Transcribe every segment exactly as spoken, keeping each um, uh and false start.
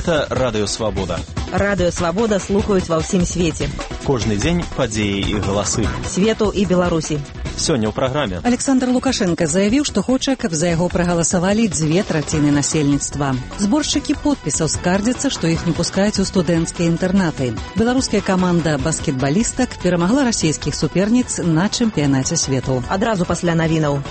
Гэта Радыё Свабода. Радыё Свабода слухаюць ва ўсім свеце. Кожны дзень падзеі і галасы. Свету і Беларусі. Сёння ў праграме. Александр Лукашенко заявіў, што хоча, каб за яго прагаласавалі дзве траціны насельніцтва. Зборшчыкі подпісаў скардзяцца, што іх не пускаюць у студэнцкія інтэрнаты. Беларуская каманда баскетбалістак перамагла расійскіх суперніц на чэмпіянаце свету. Адразу пасля навінаў.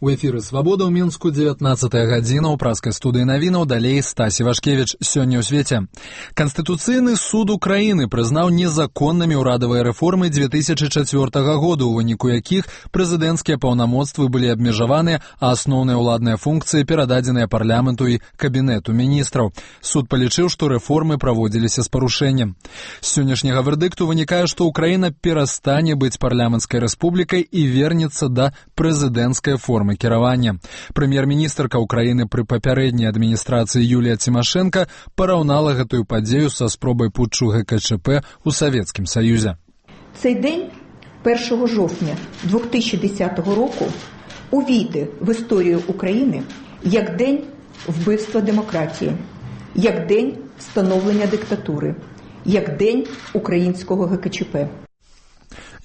У эфіры «Свабода» ў Мінску, дзевятнаццатая гадзіна, ў праскай студыі навінаў, далей Стасі Вашкевіч. Сёння ў свеце. Канстытуцыйны суд Украіны прызнаў незаконнымі ўрадавыя рэформы дзве тысячы чацвёртага году, у выніку якіх прэзідэнцкія паўнамоцтвы былі абмежаваныя, а асноўныя ўладныя функцыі перададзеныя парламенту і кабінету міністраў. Суд палічыў, што рэформы праводзіліся з парушэннем. З сённяшняга вердыкту вынікае, што Украіна перастане быць парламенцкай рэспублікай і вернецца да прэзідэнцкай формы кіравання. Прэм'ер-міністрка Украіны пры папярэдняй адміністрацыі Юлія Цімашэнка параўнала гэтую падзею са спробай путчу гэ ка чэ пэ ў Савецкім Саюзе. Цей день, першого жовтня дві тисячі десятого року, увійде в історію України як день вбивства демократії, як день встановлення диктатури, як день українського гэ ка чэ пэ.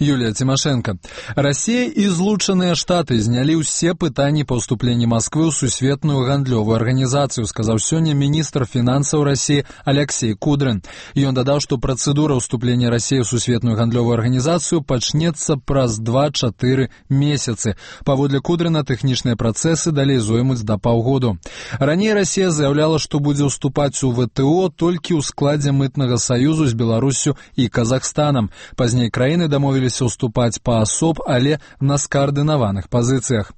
Юлія Цімашэнка. Расія і Злучаныя Штаты знялі ўсе пытанні па ўступленні Масквы ў сусветную гандлёвую арганізацыю, сказаў сёння міністр фінансаў Расіі Алексей Кудрин. Ён дадаў, што працэдура ўступлення Расіі ў сусветную гандлёвую арганізацыю пачнецца праз два-чатыры месяцы. Паводле Кудрина тэхнічныя працэсы далей зоймуць да паўгоду. Раней Расія заяўляла, што будзе ўступаць у вэ тэ о толькі ў складзе мытнага саюзу з Беларуссю і Казахстанам. Пазней краіны дамовіліся уступаць паасоб, але на скаардынаваных пазіцыях.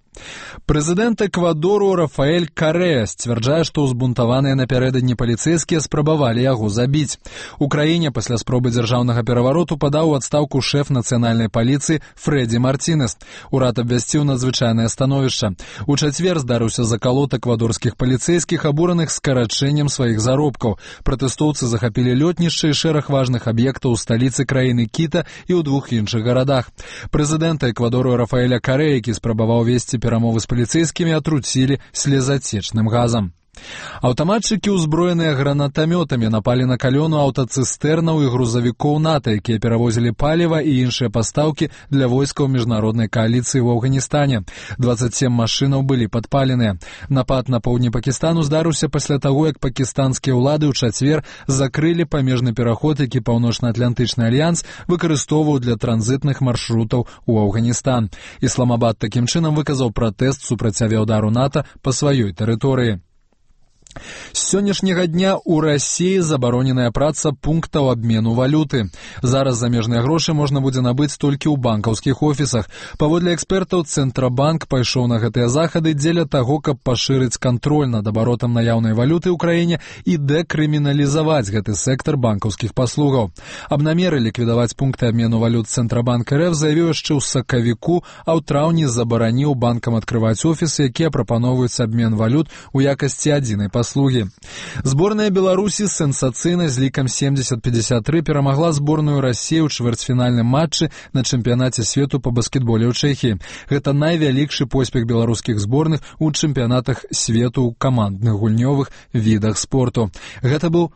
Прэзідэнт Эквадору Рафаэль Карэа сцвярджае, што ўзбунтаваныя напярэдадні паліцэйскія спрабавалі яго забіць. У краіне пасля спробы дзяржаўнага перавароту падаў у адстаўку шэф нацыянальнай паліцыі Фрэдзі Мартінес. Урад абвясціў надзвычайнае становішча. У чацвер здарыўся закалот эквадорскіх паліцэйскіх, абураных скарачэннем сваіх заробкаў. Пратэстоўцы захапілі лётнішча і шэраг важных аб'ектаў у сталіцы краіны Кіта і ў двух іншых гарадах. Прэзідэнта Эквадору Рафаэля Карэа, які спрабаваў весці перамовы з паліцэйскімі, атруцілі слезацечным газам. Аўтаматчыкі, узброеныя гранатамётамі, напалі на калёну аўтацыстэрнаў і грузавікоў НАТО, якія перавозілі паліва і іншыя пастаўкі для войскаў міжнароднай кааліцыі ў Афганістане. дваццаць сем машынаў былі падпаленыя. Напад на поўдні Пакістану здарыўся пасля таго, як пакістанскія ўлады ў чацвер закрылі памежны пераход, які Паўночна-Атлантычны альянс выкарыстоўваў для транзітных маршрутаў у Афганістан. Ісламабад такім чынам выказаў пратэст супраць авіяўдару НАТО па сваёй тэрыторыі. З сённяшняга дня ў Расіі забароненая праца пунктаў абмену валюты. Зараз замежныя грошы можна будзе набыць толькі ў банкаўскіх офісах. Паводле экспертаў, Цэнтрабанк пайшоў на гэтыя захады дзеля таго, каб пашырыць кантроль над абаротам наяўнай валюты ў краіне і дэкрыміналізаваць гэты сектар банкаўскіх паслугаў. Аб намеры ліквідаваць пункты абмену валют Цэнтрабанк эр эф заявіў яшчэ ў сакавіку, а ў траўні забараніў банкам адкрываць офісы, якія прапаноўваюць абмен валют у якасці адзінай паслугі. Слуги. Зборная Беларусі сенсацыйна з лікам семьдесят пятьдесят три перамагла зборную Расіі ў чвэрцьфінальным матчы на чэмпіянаце свету па баскетболе ў Чэхіі. Гэта найвялікшы поспех беларускіх зборных у чэмпіянатах свету ў камандных гульнёвых відах спорту. Гэта быў